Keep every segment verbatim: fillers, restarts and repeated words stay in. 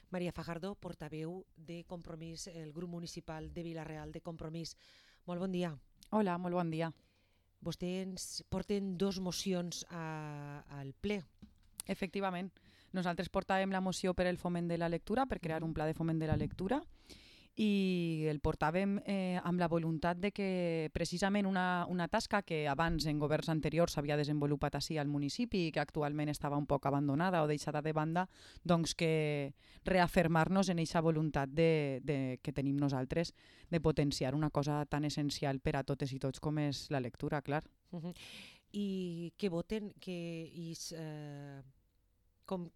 Maria Fajardo, portaveu de Compromís, el grup municipal de Vila-real de Compromís. Molt bon dia. Hola, molt bon dia. Vostès porten dos mocions a, al ple. Efectivament, nosaltres portàvem la moció per el foment de la lectura, per crear un pla de foment de la lectura, i el portàvem eh, amb la voluntat de que precisament una, una tasca que abans en governs anteriors s'havia desenvolupat així al municipi i que actualment estava un poc abandonada o deixada de banda, doncs que reafirmar-nos en aquesta voluntat de, de, que tenim nosaltres de potenciar una cosa tan essencial per a totes i tots com és la lectura, clar. Uh -huh. I que voten, que is, eh, com,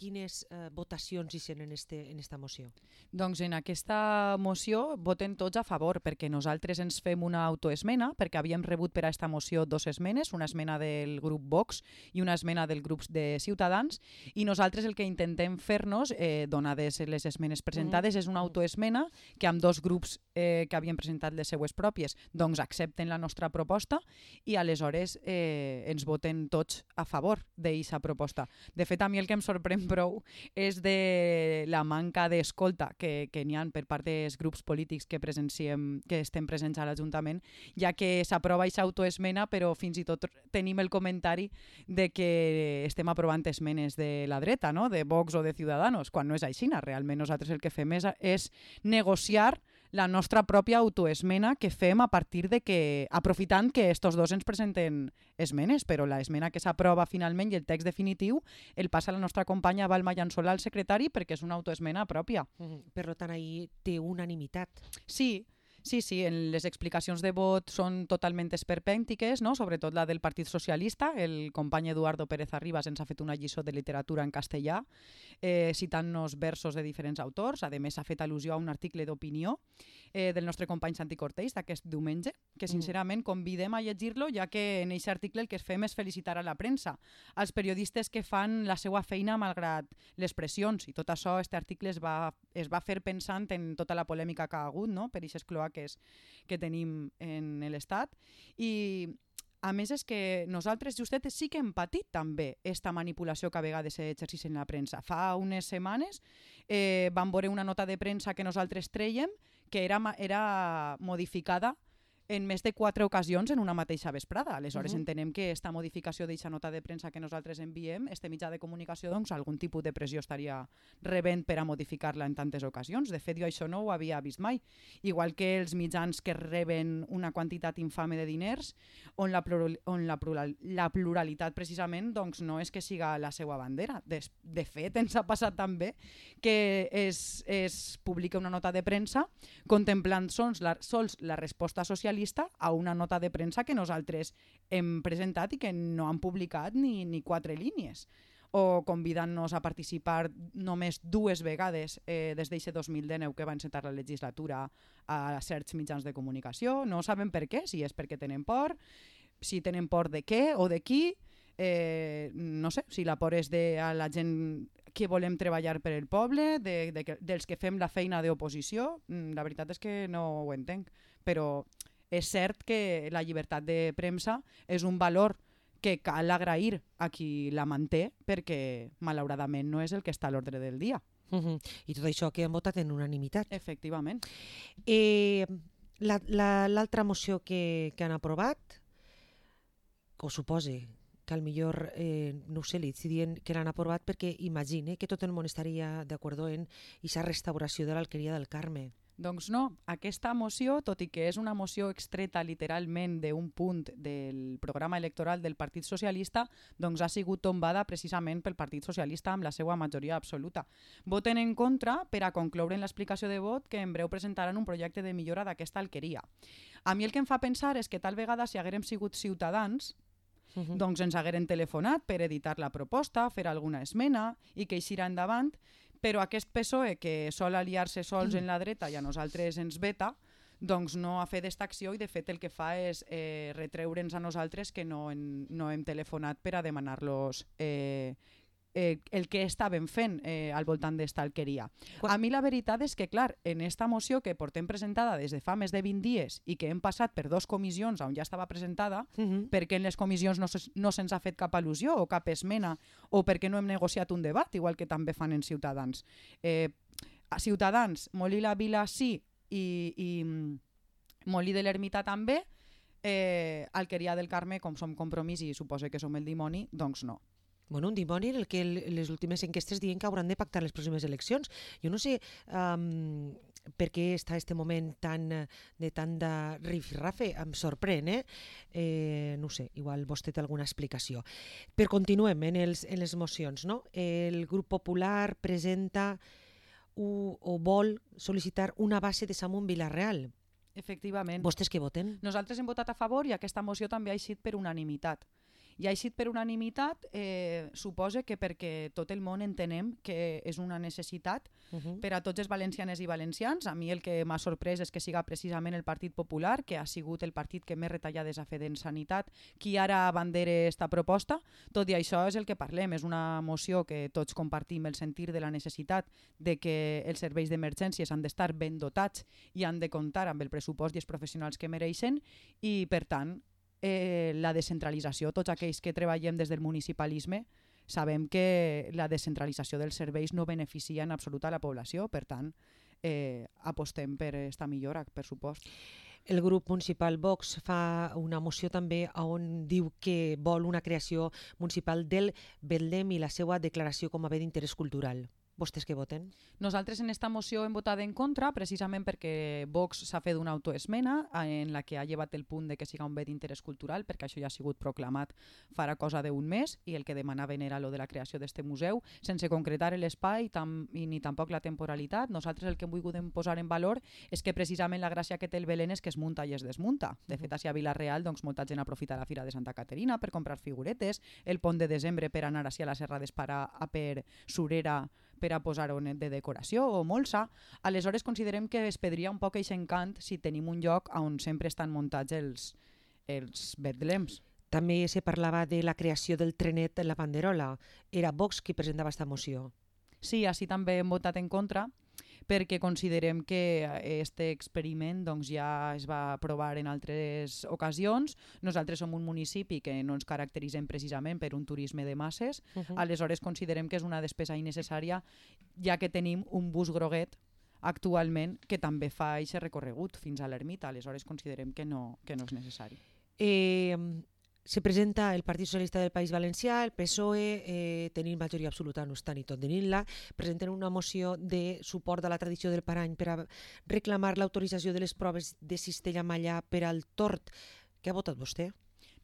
quines eh, votacions hi sent en, este, en esta moció? Doncs en aquesta moció voten tots a favor, perquè nosaltres ens fem una autoesmena, perquè havíem rebut per a aquesta moció dos esmenes, una esmena del grup Vox i una esmena del grup de Ciutadans, i nosaltres el que intentem fer-nos, eh, donades les esmenes presentades, mm. és una autoesmena que amb dos grups eh, que havien presentat les seues pròpies doncs accepten la nostra proposta i aleshores eh, ens voten tots a favor d'aquesta proposta. De fet, a mi el que em sorprèn prou és de la manca d'escolta que, que n'hi ha per part dels grups polítics que presenciem, que estem presents a l'Ajuntament, ja que s'aprova aquesta autoesmena, però fins i tot tenim el comentari de que estem aprovant esmenes de la dreta, no? De Vox o de Ciudadanos, quan no és així. Realment nosaltres el que fem és, és negociar la nostra pròpia autoesmena que fem a partir de que, aprofitant que estos dos ens presenten esmenes, però l'esmena que s'aprova finalment i el text definitiu el passa a la nostra companya Balma Llançolà, el secretari, perquè és una autoesmena pròpia. Mm-hmm. Per tant, ahir té unanimitat. Sí, sí, sí, en les explicacions de vot són totalment esperpèntiques, no? Sobretot la del Partit Socialista. El company Eduardo Pérez Arribas ens ha fet una lliçó de literatura en castellà, eh, citant-nos versos de diferents autors. A més, ha fet al·lusió a un article d'opinió eh, del nostre company Santi Cortells d'aquest diumenge, que sincerament convidem a llegir-lo, ja que en aquest article el que fem és felicitar a la premsa, als periodistes que fan la seva feina malgrat les pressions, i tot això, aquest article es va, es va fer pensant en tota la polèmica que ha hagut, no? Per aquestes cloaques que tenim en l'Estat. I a més és que nosaltres justet sí que hem patit també esta manipulació que a vegades s'exerceix en la premsa. Fa unes setmanes eh, vam veure una nota de premsa que nosaltres treiem que era, era modificada en més de quatre ocasions en una mateixa vesprada. Aleshores, uh -huh. entenem que aquesta modificació d'aquesta nota de premsa que nosaltres enviem, este mitjà de comunicació, doncs algun tipus de pressió estaria rebent per a modificar-la en tantes ocasions. De fet, jo això no ho havia vist mai. Igual que els mitjans que reben una quantitat infame de diners, on la, plural, on la, plural, la pluralitat precisament doncs, no és que siga la seva bandera. De, de fet, ens ha passat també que es, es publica una nota de premsa contemplant sols la, sols la resposta socialista a una nota de premsa que nosaltres hem presentat i que no han publicat ni, ni quatre línies, o convidant-nos a participar només dues vegades eh, des d'aquest dos mil dinou que va encetar la legislatura a certs mitjans de comunicació. No sabem per què, si és perquè tenen por, si tenen por de què o de qui, eh, no sé, si la por és de a la gent que volem treballar per el poble, de, de, de, dels que fem la feina d'oposició. La veritat és que no ho entenc, però és cert que la llibertat de premsa és un valor que cal agrair a qui la manté, perquè malauradament no és el que està a l'ordre del dia. Uh-huh. I tot això que han votat en unanimitat. Efectivament. Eh, la, la, l'altra moció que, que han aprovat, o supose que al millor, eh, no ho sé, li dient que l'han aprovat perquè imagine que tot el món estaria d'acord en aquesta restauració de l'Alqueria del Carme. Doncs no, aquesta moció, tot i que és una moció extreta literalment d'un punt del programa electoral del Partit Socialista, doncs ha sigut tombada precisament pel Partit Socialista amb la seva majoria absoluta. Voten en contra per a concloure en l'explicació de vot que en breu presentaran un projecte de millora d'aquesta alqueria. A mi el que em fa pensar és que tal vegada si haguérem sigut ciutadans, Uh-huh. doncs ens hagueren telefonat per editar la proposta, fer alguna esmena i que eixirà endavant, però aquest P S O E que sol aliar-se sols en la dreta i a nosaltres ens veta, doncs no ha fet aquesta acció i de fet el que fa és eh, retreure'ns a nosaltres que no, en, no hem telefonat per a demanar-los eh, eh, el que estaven fent eh, al voltant d'esta alqueria. Quan- A mi la veritat és que, clar, en esta moció que portem presentada des de fa més de vint dies i que hem passat per dos comissions on ja estava presentada, Uh -huh. perquè en les comissions no, se, no se'ns ha fet cap al·lusió o cap esmena o perquè no hem negociat un debat, igual que també fan en Ciutadans. Eh, a Ciutadans, Molí la Vila sí i, i mm, Molí de l'Ermita també, eh, Alqueria del Carme, com som Compromís i suposa que som el dimoni, doncs no. Bueno, un dimoni en el que el, les últimes enquestes diuen que hauran de pactar les pròximes eleccions. Jo no sé um, per què està este moment tan, eh, de tant de rifirrafe, em sorprèn, eh? eh? No ho sé, igual vostè té alguna explicació. Però continuem en, els, en les mocions, no? El grup popular presenta u, o vol sol·licitar una base de Samunt Vilareal. Efectivament. Vostès què voten? Nosaltres hem votat a favor i aquesta moció també ha eixit per unanimitat. I ha eixit per unanimitat, eh, suposa que perquè tot el món entenem que és una necessitat Uh -huh. per a tots els valencianes i valencians. A mi el que m'ha sorprès és que siga precisament el Partit Popular, que ha sigut el partit que més retallades ha fet en sanitat, qui ara abandera esta proposta. Tot i això és el que parlem, és una moció que tots compartim el sentir de la necessitat de que els serveis d'emergències han d'estar ben dotats i han de comptar amb el pressupost i els professionals que mereixen i, per tant, eh, la descentralització, tots aquells que treballem des del municipalisme sabem que la descentralització dels serveis no beneficia en absolut a la població, per tant, eh, apostem per esta millora, per supost. El grup municipal Vox fa una moció també on diu que vol una creació municipal del Betlem i la seva declaració com a bé d'interès cultural. Vostès què voten? Nosaltres en esta moció hem votat en contra precisament perquè Vox s'ha fet una autoesmena en la que ha llevat el punt de que siga un bé d'interès cultural, perquè això ja ha sigut proclamat farà cosa d'un mes i el que demanaven era lo de la creació d'este museu, sense concretar l'espai tam i ni tampoc la temporalitat. Nosaltres el que hem volgut posar en valor és que precisament la gràcia que té el Belén és que es munta i es desmunta. De fet, a Vila-real doncs, molta gent aprofita la Fira de Santa Caterina per comprar figuretes, el pont de desembre per anar a la Serra d'Esparà a per Surera per a posar-ho de decoració o molsa. Aleshores considerem que es perdria un poc aquest encant si tenim un lloc on sempre estan muntats els, els betlems. També se parlava de la creació del trenet en la banderola. Era Vox qui presentava aquesta moció. Sí, així també hem votat en contra perquè considerem que este experiment doncs, ja es va provar en altres ocasions. Nosaltres som un municipi que no ens caracteritzem precisament per un turisme de masses, uh -huh. Aleshores considerem que és una despesa innecessària ja que tenim un bus groguet actualment que també fa aquest recorregut fins a l'ermita, aleshores considerem que no, que no és necessari. Eh, se presenta el Partit Socialista del País Valencià, el P S O E, eh, tenint majoria absoluta, no està ni tot tenint-la, presenten una moció de suport a la tradició del Parany per a reclamar l'autorització de les proves de cistella mallà per al tord. Què ha votat vostè?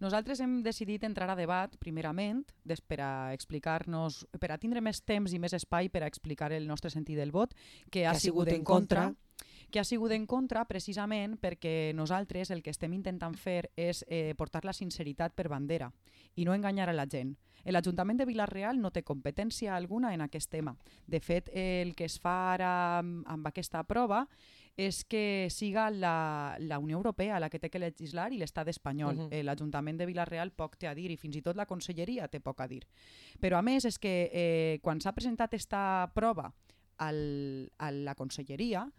Nosaltres hem decidit entrar a debat, primerament, per a explicar-nos, per a tindre més temps i més espai per a explicar el nostre sentit del vot, que ha, que ha sigut, sigut en contra, contra que ha sigut en contra precisament perquè nosaltres el que estem intentant fer és eh, portar la sinceritat per bandera i no enganyar a la gent. L'Ajuntament de Vila-real no té competència alguna en aquest tema. De fet, el que es fa ara amb aquesta prova és que siga la, la Unió Europea la que té que legislar i l'Estat espanyol. Uh -huh. L'Ajuntament de Vila-real poc té a dir i fins i tot la Conselleria té poc a dir. Però a més és que eh, quan s'ha presentat aquesta prova al, a la Conselleria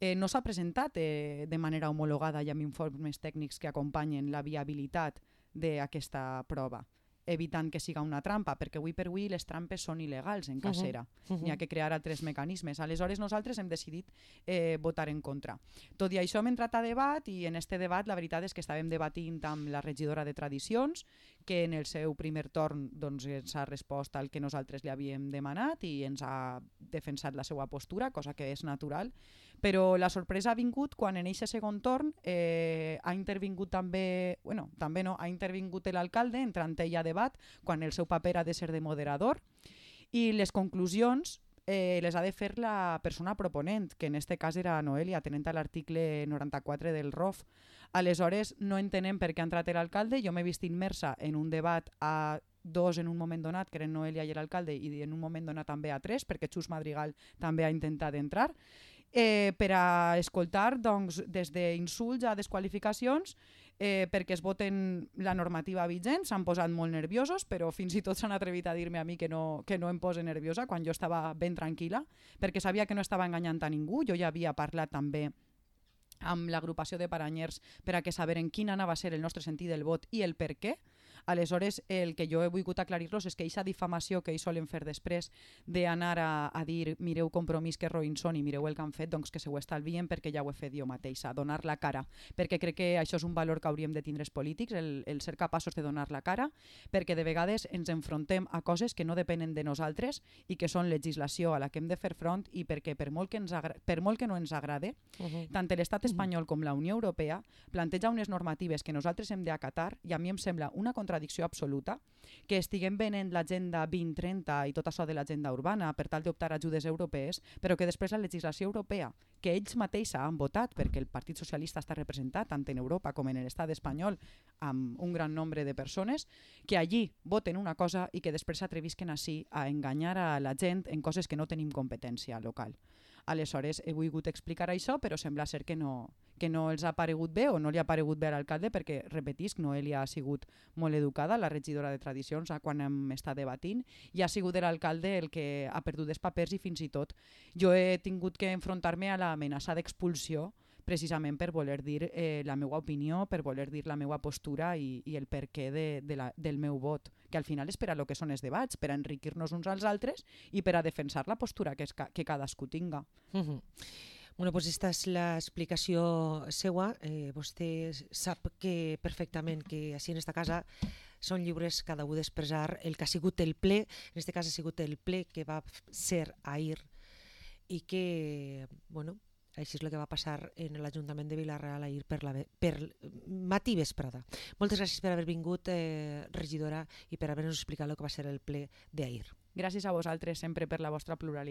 eh, no s'ha presentat eh, de manera homologada i amb informes tècnics que acompanyen la viabilitat d'aquesta prova, evitant que siga una trampa, perquè avui per avui les trampes són il·legals en casera. Uh -huh. N'hi ha que crear altres mecanismes. Aleshores nosaltres hem decidit eh, votar en contra. Tot i això hem entrat a debat i en este debat la veritat és que estàvem debatint amb la regidora de Tradicions, que en el seu primer torn doncs, ens ha respost al que nosaltres li havíem demanat i ens ha defensat la seva postura, cosa que és natural. Però la sorpresa ha vingut quan en aquest segon torn eh, ha intervingut també, bueno, també no, ha intervingut l'alcalde entrant ell a debat quan el seu paper ha de ser de moderador i les conclusions eh, les ha de fer la persona proponent, que en aquest cas era Noelia, tenint l'article noranta-quatre del R O F. Aleshores no entenem per què ha entrat l'alcalde, jo m'he vist immersa en un debat a dos en un moment donat, que eren Noelia i l'alcalde, i en un moment donat també a tres, perquè Xus Madrigal també ha intentat entrar, eh, per a escoltar doncs, des d'insults a desqualificacions eh, perquè es voten la normativa vigent, s'han posat molt nerviosos, però fins i tot s'han atrevit a dir-me a mi que no, que no em pose nerviosa quan jo estava ben tranquil·la, perquè sabia que no estava enganyant a ningú. Jo ja havia parlat també amb l'agrupació de paranyers per a que saberen quin anava a ser el nostre sentit del vot i el per què. Aleshores, el que jo he volgut aclarir-los és que aquesta difamació que ells solen fer després d'anar a, a dir mireu Compromís que roïns són i mireu el que han fet, doncs que se ho estalvien perquè ja ho he fet jo mateixa, donar la cara, perquè crec que això és un valor que hauríem de tindre els polítics, el, el ser capaços de donar la cara, perquè de vegades ens enfrontem a coses que no depenen de nosaltres i que són legislació a la que hem de fer front i perquè per molt que, ens agra- per molt que no ens agrade, uh-huh. tant l'estat espanyol com la Unió Europea planteja unes normatives que nosaltres hem d'acatar i a mi em sembla una contradicció absoluta que estiguem venent l'agenda vint trenta i tot això de l'agenda urbana per tal d'optar a ajudes europees, però que després la legislació europea, que ells mateixos han votat perquè el Partit Socialista està representat tant en Europa com en l'estat espanyol amb un gran nombre de persones, que allí voten una cosa i que després s'atrevisquen així a enganyar a la gent en coses que no tenim competència local. Aleshores, he volgut explicar això, però sembla ser que no, que no els ha paregut bé o no li ha paregut bé a l'alcalde perquè, repetisc, Noelia ha sigut molt educada, la regidora de Tradicions, quan hem estat debatint, i ha sigut l'alcalde el que ha perdut els papers i fins i tot jo he tingut que enfrontar-me a l'amenaça d'expulsió precisament per voler dir eh, la meva opinió, per voler dir la meva postura i, i el perquè de, de la, del meu vot, que al final és per a lo que són els debats, per a enriquir-nos uns als altres i per a defensar la postura que, es, que cadascú tinga. Uh-huh. Bueno, pues esta és l'explicació seua. Eh, vostè sap que perfectament que així en esta casa són lliures cada un d'expressar el que ha sigut el ple, en este cas ha sigut el ple que va ser ahir i que, bueno, així és el que va passar en l'Ajuntament de Vila-real ahir per, la, per matí vesprada. Moltes gràcies per haver vingut, eh, regidora, i per haver-nos explicat el que va ser el ple d'ahir. Gràcies a vosaltres sempre per la vostra pluralitat.